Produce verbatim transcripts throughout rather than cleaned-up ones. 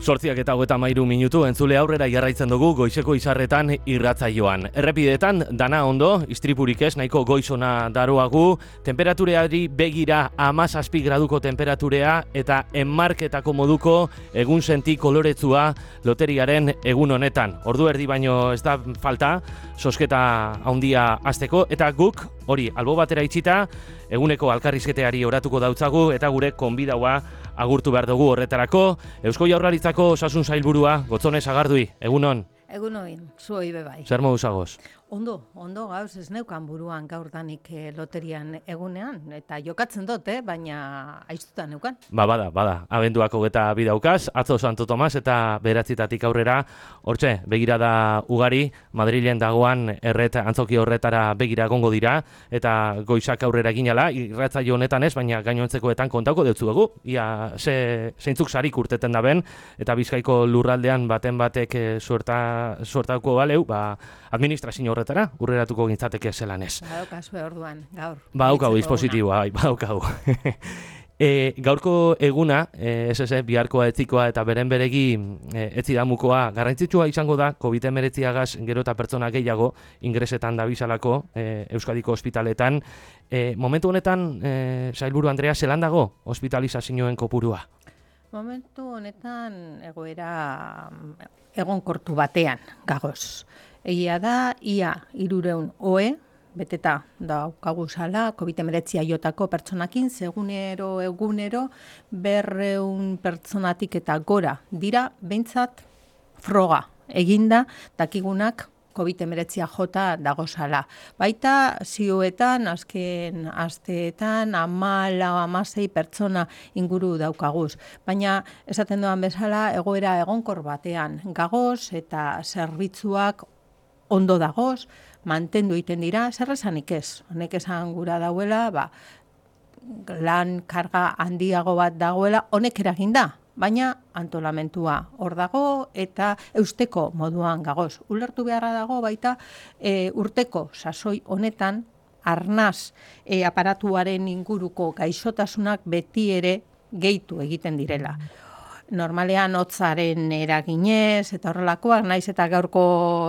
Zortziak eta hogeita hamairu minutu entzule aurrera jarraitzen dugu goizeko izarretan irratzaioan. Errepidetan dana ondo, istripurik ez, nahiko goizona daroagu, temperatureari begira hamazazpi graduko temperaturea eta enmarketako moduko egun senti koloretzua loteriaren egun honetan. Ordu erdi baino ez da falta, sosketa handia hasteko eta guk hori albo batera itxita eguneko alkarrizketeari oratuko dautzagu eta gure konbidaua agurtu behar dugu horretarako. Eusko Jaurlaritzako osasun sailburua, Gotzone Sagardui, egunon. Egunon, zuoi bebai. Zer moduz agoz? Ondo, ondo gauz ez neukan buruan gaurdanik eh, loterian egunean, eta jokatzen dut, eh, baina aiztuta neukan. Ba, bada, bada, abenduak hogeta bidaukaz, atzo Santo Tomas eta beratzitatik aurrera, hortxe, begirada ugari, Madrilen dagoan erret antzoki horretara begira gongo dira, eta goizak aurrera ginala, irratzaio honetan ez, baina gainontzekoetan kontauko deutzu dugu, ia ze, zeintzuk sarik urteten da ben, eta Bizkaiko lurraldean baten batek e, suerta, suertauko baleu, ba, administrazio horretara, urreratuko gintzateke zelan ez. Badaukazue orduan, gaur. Ba, haukau dispositiboa, bai, ba, haukau. E, gaurko eguna, e, ez ez, biharkoa etzikoa eta beren beregi e, etzidamukoa garrantzitsua izango da, covid hemeretziagaz gero eta pertsona gehiago ingresetan dabisalako e, Euskadiko ospitaletan. E, momentu honetan, e, sailburu Andrea, zelan dago hospitalizazioen kopurua? Momentu honetan egoera egonkortu batean gagoz. Egia da, ia hirureun ohe, beteta daukagu zala, covid hemeretzia jotako pertsonakin, segunero, egunero, berreun pertsonatik eta gora dira, behintzat froga eginda, dakigunak covid hemeretzia jota dagozala. Baita zioetan, azken asteetan, amala, amasei pertsona inguru daukaguz. Baina, esaten doan bezala, egoera egonkor batean gagoz eta zerbitzuak ondo dagoz, mantendu egiten dira, zer esanik ez. Honek esan gura dauela, ba, lan karga handiago bat dagoela, honek eragin da. Baina antolamentua hor dago eta eusteko moduan gagoz. Ulertu beharra dago baita e, urteko sasoi honetan arnaz e, aparatuaren inguruko gaixotasunak beti ere gehitu egiten direla. Normalean hotzaren eraginez eta horrelakoak, naiz eta gaurko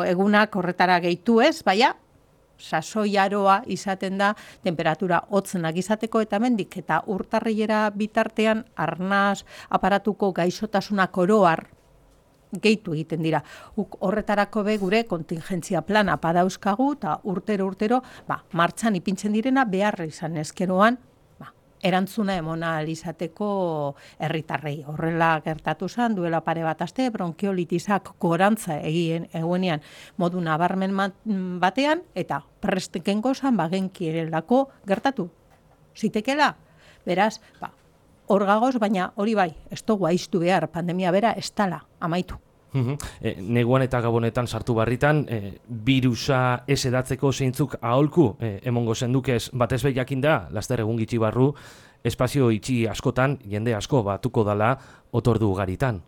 egunak horretara gehitu ez, baina sasoi aroa izaten da temperatura hotzenak izateko eta mendik eta urtarrilera bitartean arnaz aparatuko gaixotasunak oroar gehitu egiten dira. Uk horretarako be gure kontingentzia plana padauzkagu eta urtero urtero ba, martxan ipintzen direna behar izan ezkeroan erantzuna emona izateko herritarrei. Horrela gertatu zen, duela pare bat aste, bronkiolitisak gorantza egien egunean modu nabarmen batean, eta presteken gozan bagenkierelako gertatu. Zitekela, beraz, ba, hor gagoz, baina hori bai, ez dugu aiztu behar, pandemia bera ez tala, amaitu. E, neguan eta gabonetan sartu barritan, e, virusa ez edatzeko zeintzuk aholku, e, emongo zendukez batez behiakin da, laster egun gitxi barru, espazio itxi askotan, jende asko batuko dala otordu ugaritan.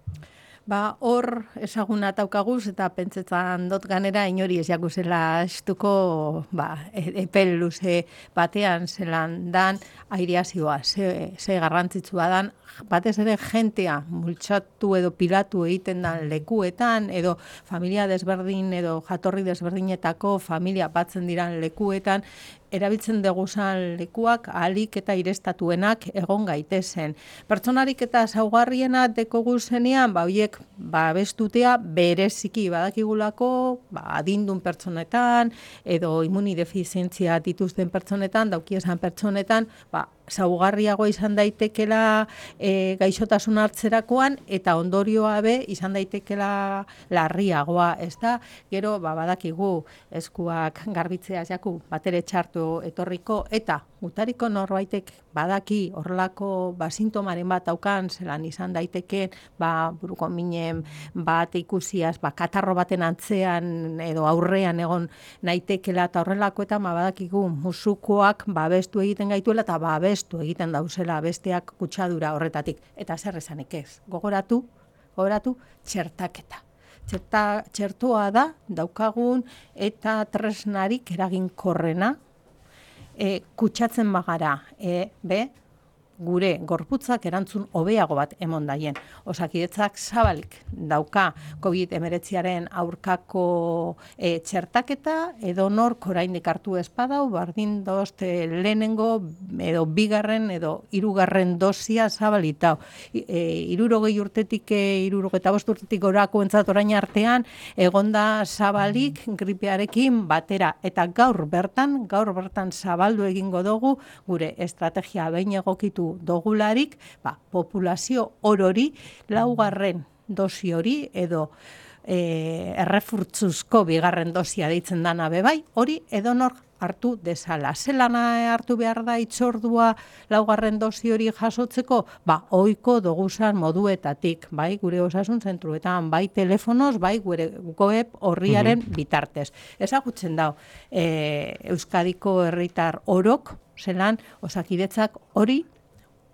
Ba, hor ezaguna taukaguz eta pentsetan dot ganera inori ez jakuzela estuko ba, epel luze batean zelan dan aireazioa, ze, ze garrantzitsua dan, batez ere jentea multxatu edo pilatu egiten dan lekuetan, edo familia desberdin edo jatorri desberdinetako familia batzen diran lekuetan, erabiltzen deguzan lekuak ahalik eta irestatuenak egon gaitezen. Pertsonarik eta zaugarriena dekogu zenean, ba, horiek babestutea bereziki badakigulako, ba, adindun pertsonetan, edo immunidefizientzia dituzten pertsonetan, daukiesan pertsonetan, ba, zaugarriago izan daitekela e, gaixotasun hartzerakoan eta ondorioa be izan daitekela larriagoa, ez da? Gero, ba, badakigu eskuak garbitzea jaku batere txartu etorriko eta gutariko norbaitek badaki horrelako ba, sintomaren bat daukan, zelan izan daiteke ba, buruko minen bat ikusiaz, ba, katarro baten antzean edo aurrean egon naitekela eta horrelako eta ba, badakigu musukoak babestu egiten gaituela eta babestu egiten dauzela besteak kutsadura horretatik. Eta zer esanik ez, gogoratu, gogoratu txertaketa. Txerta, txertoa da daukagun eta tresnarik eraginkorrena, E, kutsatzen bagara, e, be, gure gorputzak erantzun hobeago bat emon daien. Osakidetzak zabalik dauka covid hemeretziaren aurkako e, txertaketa, edo nork oraindik hartu espadau, bardin dozt e, lehenengo edo bigarren edo hirugarren dosia zabalitau. E, irurogei urtetik, e, irurogei eta bost urtetik gorako entzat orain artean, egonda zabalik gripearekin batera. Eta gaur bertan, gaur bertan zabaldu egingo dugu, gure estrategia behin egokitu dogularik, ba, populazio orori laugarren dosi hori edo e, errefurtzuzko bigarren dosia deitzen dana bebai, hori edonor hartu dezala. Zelana hartu behar da itzordua laugarren dosi hori jasotzeko? Ba, ohiko doguzan moduetatik, bai, gure osasun zentruetan, bai telefonoz, bai gure web horriaren mm-hmm. bitartez. Ezagutzen dau, e, Euskadiko herritar orok, zelan osakidetzak hori,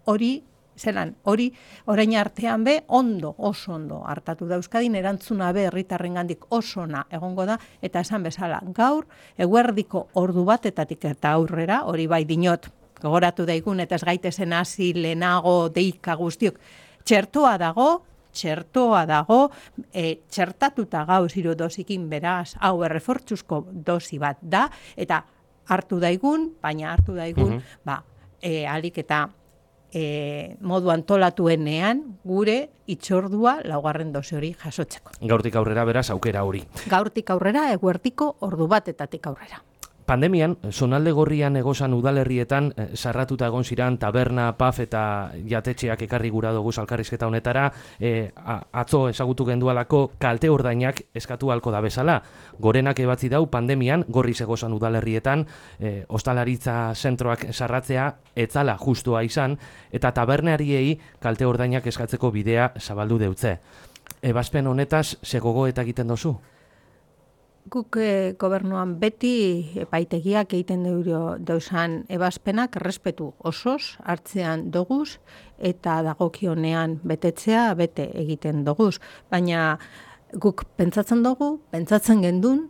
hori, zelan, hori, orain artean be, ondo, oso ondo hartatu da Euskadin, erantzuna be herritarrengandik oso ona egongo da, eta esan bezala, gaur, eguerdiko ordu batetatik eta aurrera, hori bai dinot, gogoratu daigun, eta ez gaitezen hasi lehenago deika guztiok, txertoa dago, txertoa dago, e, txertatuta gauz hiru dosikin beraz, hau errefortzuzko dosi bat da, eta hartu daigun, baina hartu daigun, mm-hmm. ba, e, alik eta e, modu antolatuenean gure itzordua laugarren dosi hori jasotzeko. Gaurtik aurrera beraz aukera hori. Gaurtik aurrera, eguertiko ordu batetatik aurrera. Pandemian, zonalde gorrian egozan udalerrietan, eh, sarratuta egon ziran taberna, paf eta jatetxeak ekarri gura dugu elkarrizketa honetara, eh, atzo ezagutu gendualako kalte ordainak eskatu halko da bezala. Gorenak ebatzi dau pandemian, gorriz egozan udalerrietan, eh, ostalaritza zentroak sarratzea etzala justua izan, eta tabernariei kalte ordainak eskatzeko bidea zabaldu deutze. Ebazpen honetaz, zegogo eta egiten dozu? Guk e, gobernuan beti epaitegiak egiten dauzan ebazpenak errespetu osoz hartzean doguz eta dagokionean betetzea bete egiten doguz. Baina guk pentsatzen dugu, pentsatzen gendun,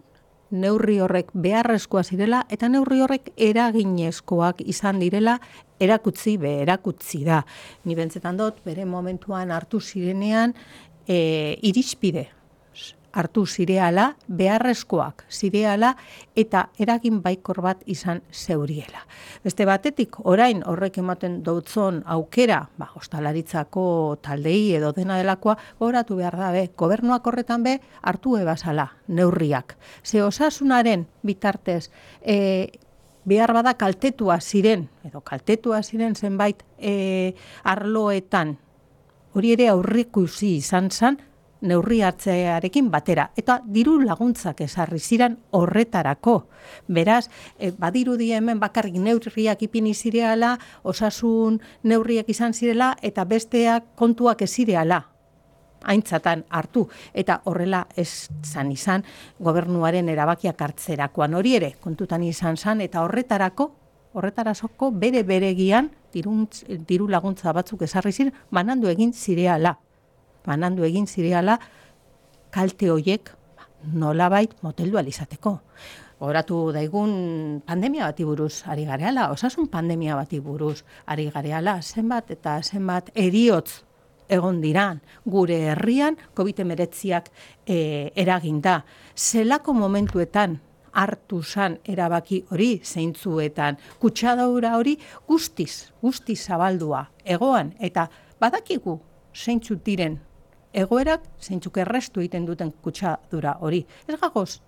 neurri horrek beharrezkoa zirela eta neurri horrek eraginezkoak izan direla erakutzi be erakutzi da. Ni bentsetan dut, bere momentuan hartu zirenean e, irizpide hartu zireala, beharrezkoak zireala eta eragin baikor bat izan zeuriela. Beste batetik, orain horrek ematen dautzon aukera, ba, ostalaritzako taldei edo dena delakoa, goratu behar da be, gobernuak horretan be, hartu ebazala, neurriak. Ze osasunaren bitartez, e, behar bada kaltetua ziren, edo kaltetua ziren zenbait e, arloetan, hori ere aurrikusi izan zen, neurri hartzearekin batera, eta diru laguntzak ezarri ziren horretarako. Beraz, e, badirudi hemen bakarrik neurriak ipini zireala, osasun neurriak izan zirela, eta besteak kontuak ez zireala aintzatan hartu, eta horrela ez zan izan gobernuaren erabakiak hartzerakoan hori ere, kontutan izan zan, eta horretarako, horretarazoko bere beregian diruntz, diru laguntza batzuk ezarri ziren, banandu egin zireala. banandu egin zireala kalte hoiek nolabait moteldu alizateko. Horatu daigun pandemia bati buruz ari gareala, osasun pandemia bati buruz ari gareala, zenbat eta zenbat heriotz egon diran gure herrian covid hemeretziak e, eraginda. Zelako momentuetan hartu zan erabaki hori zeintzuetan, kutsadura hori guztiz, guztiz zabaldua egoan, eta badakigu zeintzuk diren egoerak, zeintzuk errestu egiten duten kutsadura hori. Ez gagoz,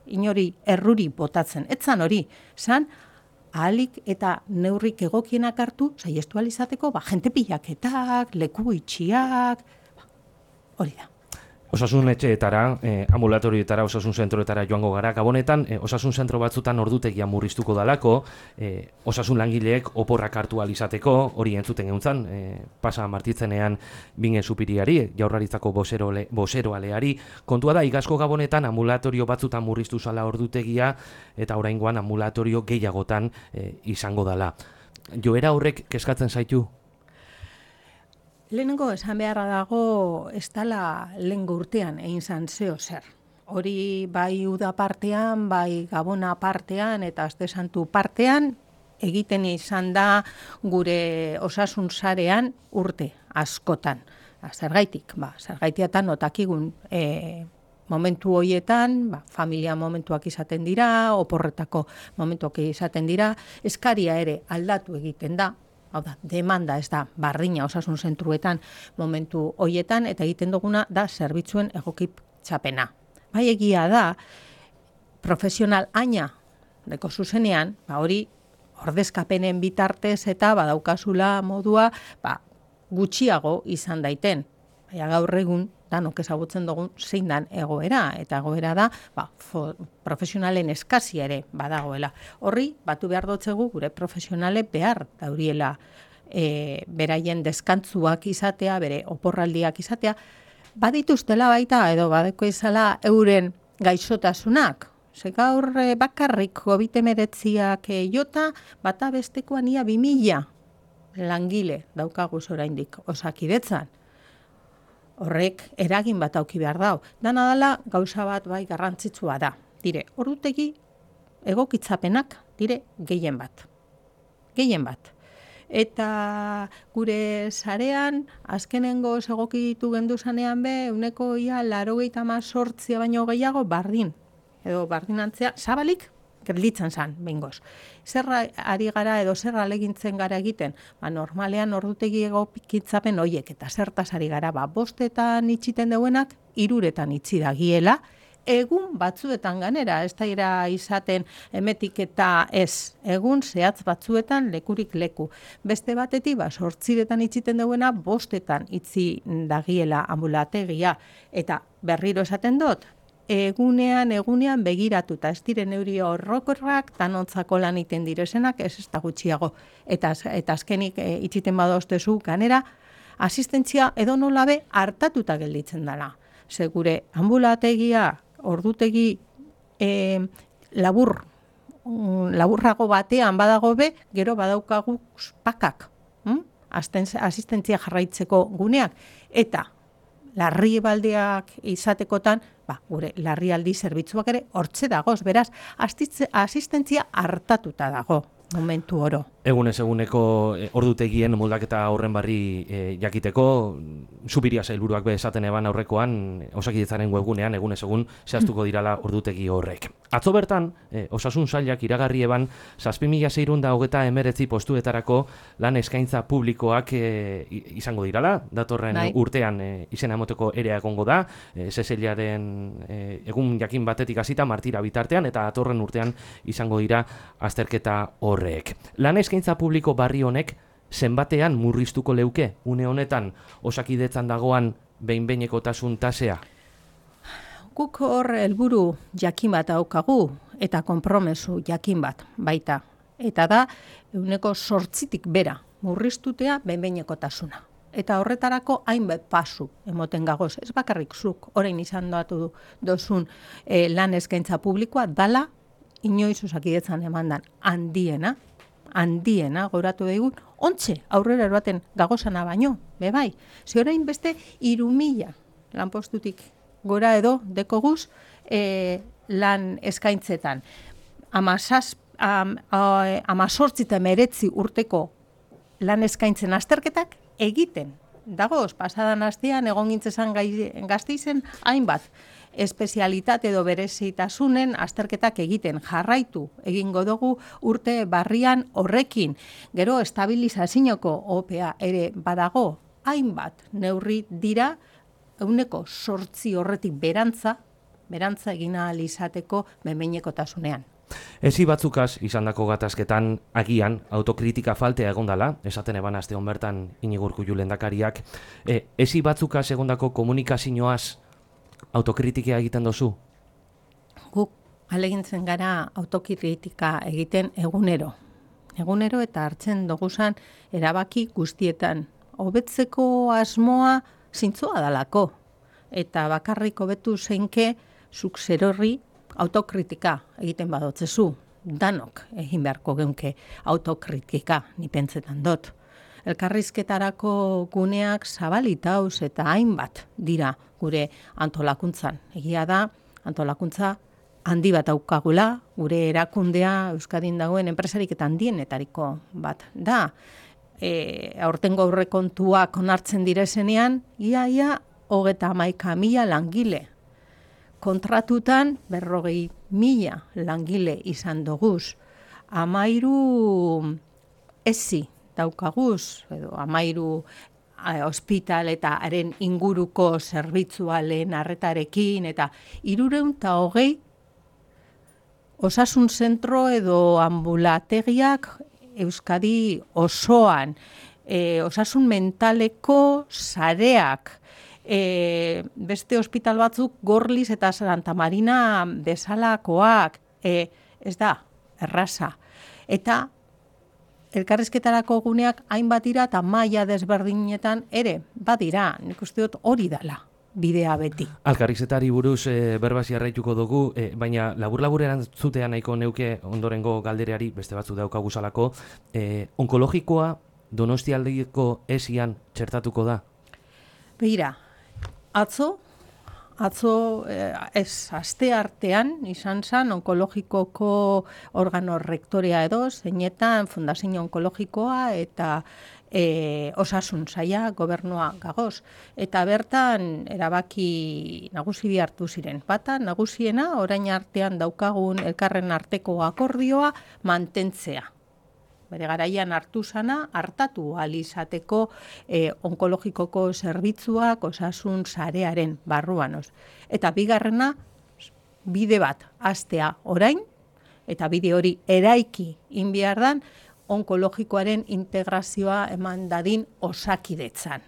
inori erruri botatzen, etzan hori, zan ahalik eta neurrik egokienak hartu, saiestu alizateko, ba, jente pilaketak, leku itxiak, ba, hori da. Osasun etxeetara, eh, ambulatorioetara, osasun zentroetara joango gara. Gabonetan, eh, osasun zentro batzutan ordutegia murriztuko dalako, eh, osasun langileek oporrak hartu alizateko, hori entzuten geuntzan, eh, pasa martitzenean bingen supiriari, jaurlaritzako bosero, le, bosero aleari. Kontua da, igazko gabonetan ambulatorio batzutan murriztu zala ordutegia, eta oraingoan ambulatorio gehiagotan eh, izango dala. Joera horrek kezkatzen zaitu? Lehenengo esan beharra dago ez dela lehengo urtean egin zan zeo zer. Hori bai uda partean, bai gabona partean eta aste santu partean egiten izan da gure osasun sarean urte askotan. Zergaitik, ba, zergaitiatan otakigun e, momentu horietan, ba, familia momentuak izaten dira, oporretako momentuak izaten dira, eskaria ere aldatu egiten da, hau da, demanda ez da bardina osasun zentruetan momentu horietan, eta egiten duguna da zerbitzuen egokitzapena. Bai egia da, profesional aina deko zuzenean, ba, hori ordezkapenen bitartez eta badaukazula modua ba, gutxiago izan daiten. Baina gaur egun danok ezagutzen dugun zein dan egoera, eta egoera da ba, fo, profesionalen eskazia ere badagoela. Horri, batu behar dotzegu gure profesionale behar dauriela e, beraien deskantzuak izatea, bere oporraldiak izatea, badituztela baita edo badeko izala euren gaixotasunak. Ze gaur bakarrik covid hemeretziak jota, bata bestekoan ia bi mila langile daukaguz oraindik Osakidetzan. Horrek eragin bat auki behar dau. Dana dela gauza bat bai garrantzitsua da. Dire, ordutegi egokitzapenak dire gehien bat. Gehien bat. Eta gure sarean, azkenengo egokitu gendu zanean be, uneko ia laurogeita hemezortzi baino gehiago bardin. Edo bardinantzea, zabalik, gelditzen zan, behingoz. Zerra ari gara edo zerra alegintzen gara egiten, ba, normalean ordutegi egokitzapen hoiek, eta zertaz ari gara, ba, bostetan itxiten deuenak, hiruretan itxi dagiela, egun batzuetan ganera, ez da ira izaten emetik eta ez, egun zehatz batzuetan lekurik leku. Beste batetik, ba, sortziretan itxiten deuena, bostetan itxi dagiela ambulategia, eta berriro esaten dut, egunean, egunean begiratuta, ez diren neuri horrokorrak, tanontzako lan iten direzenak, ez ez da gutxiago. Eta, eta azkenik e, itxiten badoztezu ganera, asistentzia edo nolabe hartatuta gelditzen dela. Segure ambulategia, ordutegi e, labur, laburrago batean badago be, gero badaukagu pakak, hm? Asistentzia jarraitzeko guneak, eta larri baldeak izatekotan, ba, gure larrialdi zerbitzuak ere hortze dagoz, beraz, asistentzia hartatuta dago momentu oro. Egunez eguneko e, ordutegien moldaketa horren barri e, jakiteko, Zubiria sailburuak be esaten eban aurrekoan, Osakidetzaren webgunean egunez egun zehaztuko dirala ordutegi horrek. Atzo bertan, e, osasun sailak iragarri eban, zazpi mila seiehun eta hogeita hemeretzi postuetarako lan eskaintza publikoak e, izango dirala, datorren Dai. urtean e, izena emoteko ere egongo da, e, Zezeliaren e, egun jakin batetik hasita martira bitartean, eta datorren urtean izango dira azterketa horrek. Lan eskaintza publiko barri honek zenbatean murriztuko leuke une honetan Osakidetzan dagoan behin-behinekotasun tasea? Guk hor helburu jakin bat daukagu eta konpromesu jakin bat baita. Eta da ehuneko zortzitik bera murriztutea behin-behinekotasuna. Eta horretarako hainbat pasu emoten gagoz. Ez bakarrik zuk orain izan datu dozun e, lan eskaintza publikoa dala inoiz Osakidetzan emandan handiena, handiena, goratu daigun, ontxe aurrera eroaten gagozana baino, bebai. Ze orain beste hiru mila lanpostutik gora edo dekoguz e, lan eskaintzetan. Amazaz, am, amazortzi eta meretzi urteko lan eskaintzen azterketak egiten. Dagoz, pasadan astean egon gintzezan Gasteizen hainbat espezialitate edo berezitasunen azterketak egiten jarraitu egingo dugu urte barrian horrekin. Gero estabilizazioko opea ere badago hainbat neurri dira ehuneko zortzi horretik berantza, berantza egin ahal izateko behin-behinekotasunean. Ezi batzukaz izandako gatazketan agian autokritika faltea egondala, esaten eban aste hon bertan Iñigo Urkullu lehendakariak, e, ezi batzukaz egondako komunikazioaz autokritika egiten dozu? Guk alegintzen gara autokritika egiten egunero. Egunero eta hartzen doguzan erabaki guztietan. Hobetzeko asmoa zintzoa dalako. Eta bakarrik hobetu zeinke zuk zerorri autokritika egiten badotzezu. Danok egin beharko geunke autokritika, ni pentsetan dut. Elkarrizketarako guneak zabalitauz eta hainbat dira gure antolakuntzan. Egia da, antolakuntza handi bat daukagula, gure erakundea Euskadin dagoen enpresarik eta handienetariko bat da. E, aurtengo aurrekontuak onartzen direzenean, ia, ia, hogeta hamaika mila langile. Kontratutan berrogei mila langile izan doguz. Amairu ezi daukaguz, edo amairu hospital eta haren inguruko zerbitzua lehen arretarekin, eta hirurehun eta hogei osasun zentro edo ambulategiak Euskadi osoan, e, osasun mentaleko sareak, e, beste hospital batzuk Gorliz eta Santa Marina bezalakoak, e, ez da, erraza. Eta elkarrizketarako guneak hainbat dira eta maila desberdinetan ere badira, nik uste dut hori dela bidea beti. Elkarrizketari buruz e, berbaz jarraituko dugu, e, baina labur-labur erantzutea nahiko neuke ondorengo galdereari beste batzu daukaguzalako, e, onkologikoa Donostialdeko esian txertatuko da? Begira, atzo, atzo eh, ez aste artean izan zen onkologikoko organo rektorea edo, zeinetan Fundazio Onkologikoa eta e, osasun saia gobernua gagoz. Eta bertan erabaki nagusi bi hartu ziren. Bata, nagusiena orain artean daukagun elkarren arteko akordioa mantentzea. Bere garaian hartu zana, hartatu ahal izateko eh, onkologikoko zerbitzuak osasun sarearen barruanoz. Eta bigarrena, bide bat hastea orain, eta bide hori eraiki inbiardan, onkologikoaren integrazioa eman dadin osakidetzan.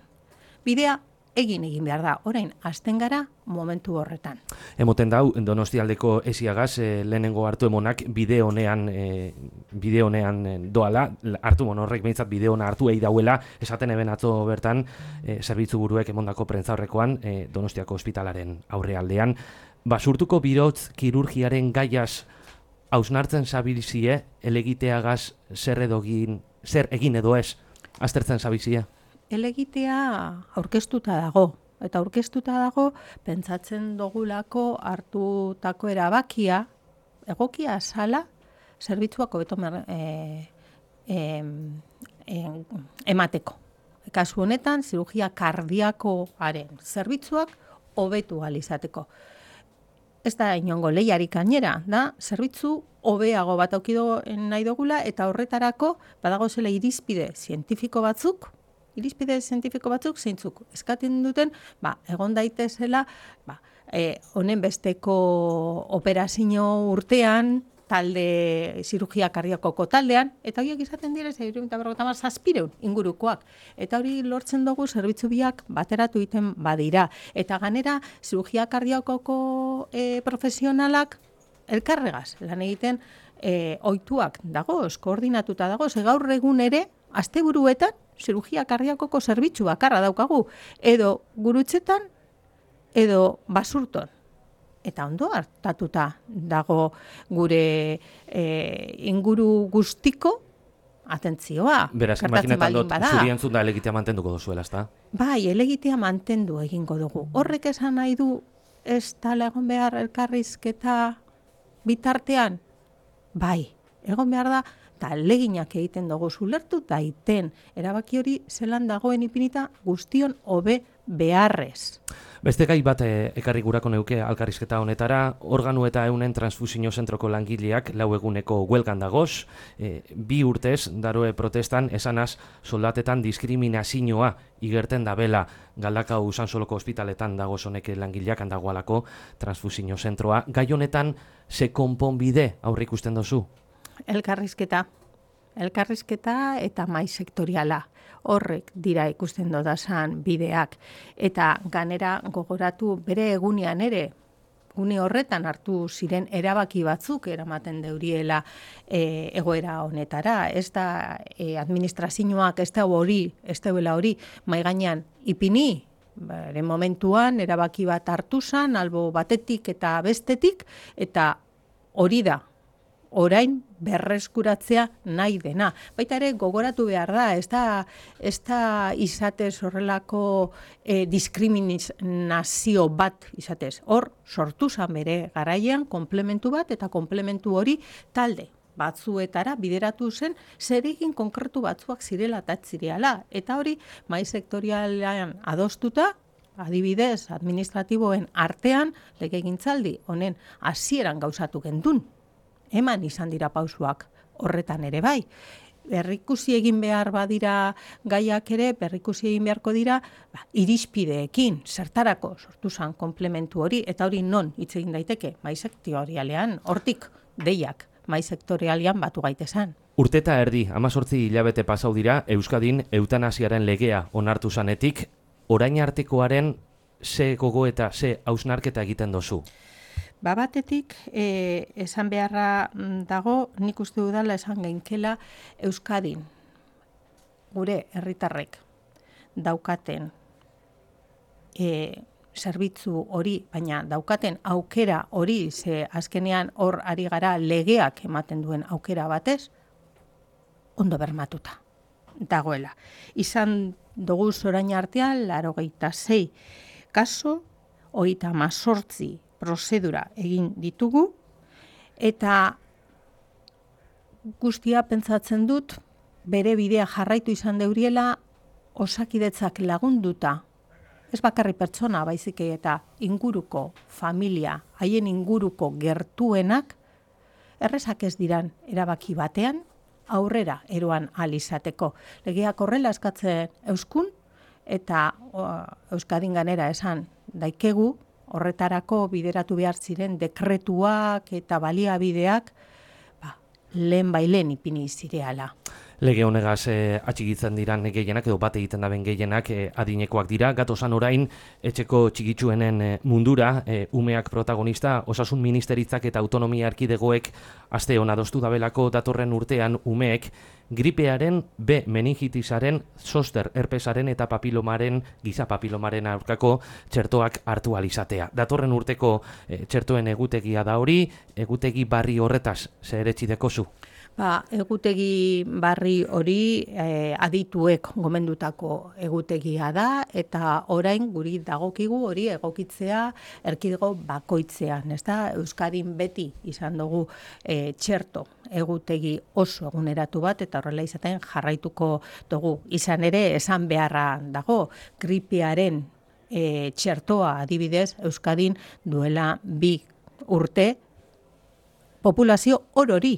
Bidea egin egin behar da, orain hasten gara momentu horretan. Emoten dau, Donostialdeko esiagaz, e, lehenengo hartu emonak bide honean, e, bide honean e, doala, hartu mon horrek behintzat bide hona hartu egi dauela, esaten eben atzo bertan, e, zerbitzu buruek emondako prentza horrekoan, e, Donostiako ospitalaren aurrealdean. Basurtuko birotz kirurgiaren gaiaz hausnartzen zabilzie, elegiteagaz zer edogin, zer egin edo ez, aztertzen zabilzie? Elegitea aurkeztuta dago, eta aurkeztuta dago pentsatzen dogulako hartutako erabakia, egokia zala, zerbitzuak hobeto e, e, e, emateko. Kasu honetan, zirurgia kardiakoaren zerbitzuak hobetu ahal izateko. Ez da inongo lehiarik gainera, da, zerbitzu hobeago bat aukido nahi dugula, eta horretarako badago zela irizpide zientifiko batzuk, irizpide zientifiko batzuk zeintzuk eskatzen duten, ba, egon daitezela, ba, e, honen besteko operazio urtean, talde zirurgia kardiakoko taldean, eta horiek izaten dira hirurogeita berrogeita hamar zazpiehun ingurukoak. Eta hori lortzen dugu zerbitzu biak bateratu egiten badira. Eta ganera zirurgia kardiakoko e, profesionalak elkarregaz lan egiten e, ohituak dagoz, koordinatuta dagoz, gaur egun ere asteburuetan zirurgia kardiakoko zerbitzu bakarra daukagu, edo Gurutzetan, edo Basurton. Eta ondo hartatuta dago gure e, inguru guztiko atentzioa. Beraz, imaginetan dut, zuri entzun da elegitea mantenduko duzuela, ezta? Bai, elegitea mantendu egingo dugu. Horrek esan nahi du ez tala egon behar elkarrizketa bitartean? Bai, egon behar da, eta leginak egiten dugu zulertu daiten. Erabaki hori zelan dagoen ipinita guztion hobe beharrez. Beste gai bat e, ekarri gurako neuke alkarrizketa honetara, organu eta eunen transfusio zentroko langileak lau eguneko huelgan dagoz, e, bi urtez daroe protestan esanaz soldatetan diskriminazioa igerten dabela Galdakao Usansoloko ospitaletan dagoz honek langileak handagoalako transfusio zentroa. Gai honetan ze konponbide aurre ikusten dozu? Elkarrizketa. Elkarrizketa eta mai sektoriala. Horrek dira ikusten dodazan bideak. Eta ganera gogoratu bere egunean ere, gune horretan hartu ziren erabaki batzuk eramaten deuriela e, egoera honetara. Ez da e, administrazioak ez da hori, ez da hori, mai gainean ipini, bere momentuan erabaki bat hartu zan, albo batetik eta bestetik, eta hori da. Orain berreskuratzea nahi dena. Baita ere gogoratu behar da, ez da, ez da izatez horrelako eh, diskriminazio bat izatez. Hor sortu zan bere garaian komplementu bat eta komplementu hori talde batzuetara bideratu zen zeregin konkretu batzuak zirela eta zireala. Eta hori mahai sektorialean adostuta, adibidez, administratiboen artean, legegintzaldi honen hasieran gauzatu gendun. Eman izan dira pausuak horretan ere bai. Berrikusi egin behar badira gaiak ere, berrikusi egin beharko dira, ba, irizpideekin, zertarako sortu zen komplementu hori, eta hori non hitz egin daiteke, mai sektorialean, hortik deiak, mai sektorialean batu gaitezan. Urteta erdi, amazortzi hilabete pasau dira, Euskadin eutanasiaren legea onartu zanetik, orain artekoaren ze gogo eta ze hausnarketa egiten dozu? Ba batetik, e, esan beharra dago, nik uste dudala esan geinkela Euskadin, gure herritarrek daukaten e, zerbitzu hori, baina daukaten aukera hori, ze azkenean hor ari gara legeak ematen duen aukera batez, ondo bermatuta dagoela. Izan dugu orain artean, laurogeita sei kaso, hogeita hemezortzi prozedura egin ditugu, eta guztia pentsatzen dut, bere bidea jarraitu izan deuriela, Osakidetzak lagunduta, ez bakarri pertsona baizik eta inguruko familia, haien inguruko gertuenak, errezak ez diran erabaki batean, aurrera eroan ahal izateko. Legeak horrela eskatzen euskun, eta o, Euskadin ganera esan daikegu, horretarako bideratu behar ziren dekretuak eta baliabideak ba, lehen bailen ipini zireala. Lege honegaz eh, atxigitzen diran gehienak edo bate egiten daben gehienak eh, adinekoak dira. Gatozan orain etxeko txigitsuenen eh, mundura, eh, umeak protagonista, osasun ministeritzak eta autonomia erkidegoek aste hon adostu dabelako datorren urtean umeek gripearen, B meningitisaren, zoster herpesaren eta papilomaren, giza papilomaren aurkako txertoak hartu alizatea. Datorren urteko eh, txertoen egutegia da hori, egutegi barri horretaz zer etxidekozu? Ba, egutegi barri hori eh, adituek gomendutako egutegia da, eta orain guri dagokigu hori egokitzea erkidego bakoitzean, ez da? Euskadin beti izan dugu eh, txerto egutegi oso eguneratu bat, eta horrela izaten jarraituko dugu. Izan ere, esan beharra dago, gripearen eh, txertoa adibidez, Euskadin duela bi urte populazio orori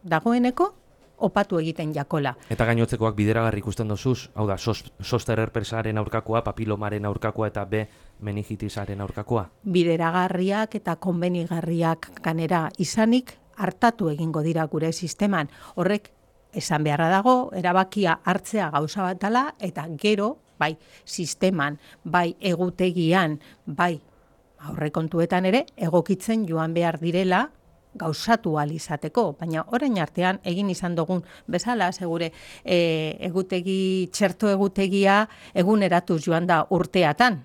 dagoeneko opatu egiten jakola. Eta gainotzekoak bideragarri ikusten dozuz, hau da, zoster herpesaren aurkakoa, papilomaren aurkakoa eta B meningitisaren aurkakoa? Bideragarriak eta konbenigarriak ganera izanik hartatu egingo dira gure sisteman. Horrek esan beharra dago, erabakia hartzea gauza bat dela, eta gero, bai sisteman, bai egutegian, bai aurrekontuetan ere, egokitzen joan behar direla, gauzatu ahal izateko, baina orain artean egin izan dugun bezala, segure e, egutegi, txerto egutegia eguneratuz joan da urteatan.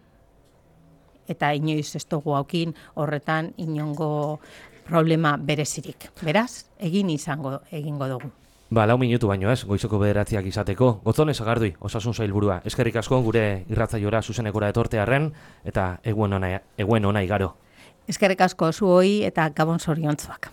Eta inoiz ez dugu haukin horretan inongo problema berezirik. Beraz, egin izango egingo dugu. Ba, lau minutu baino ez, goizoko bederatziak izateko. Gotzone Sagardui, osasun sailburua. Eskerrik asko gure irratzaiora zuzenekora etortearren, eta eguen ona, eguen ona igaro. Eskerrik asko zuoi eta gabon zoriontzuak.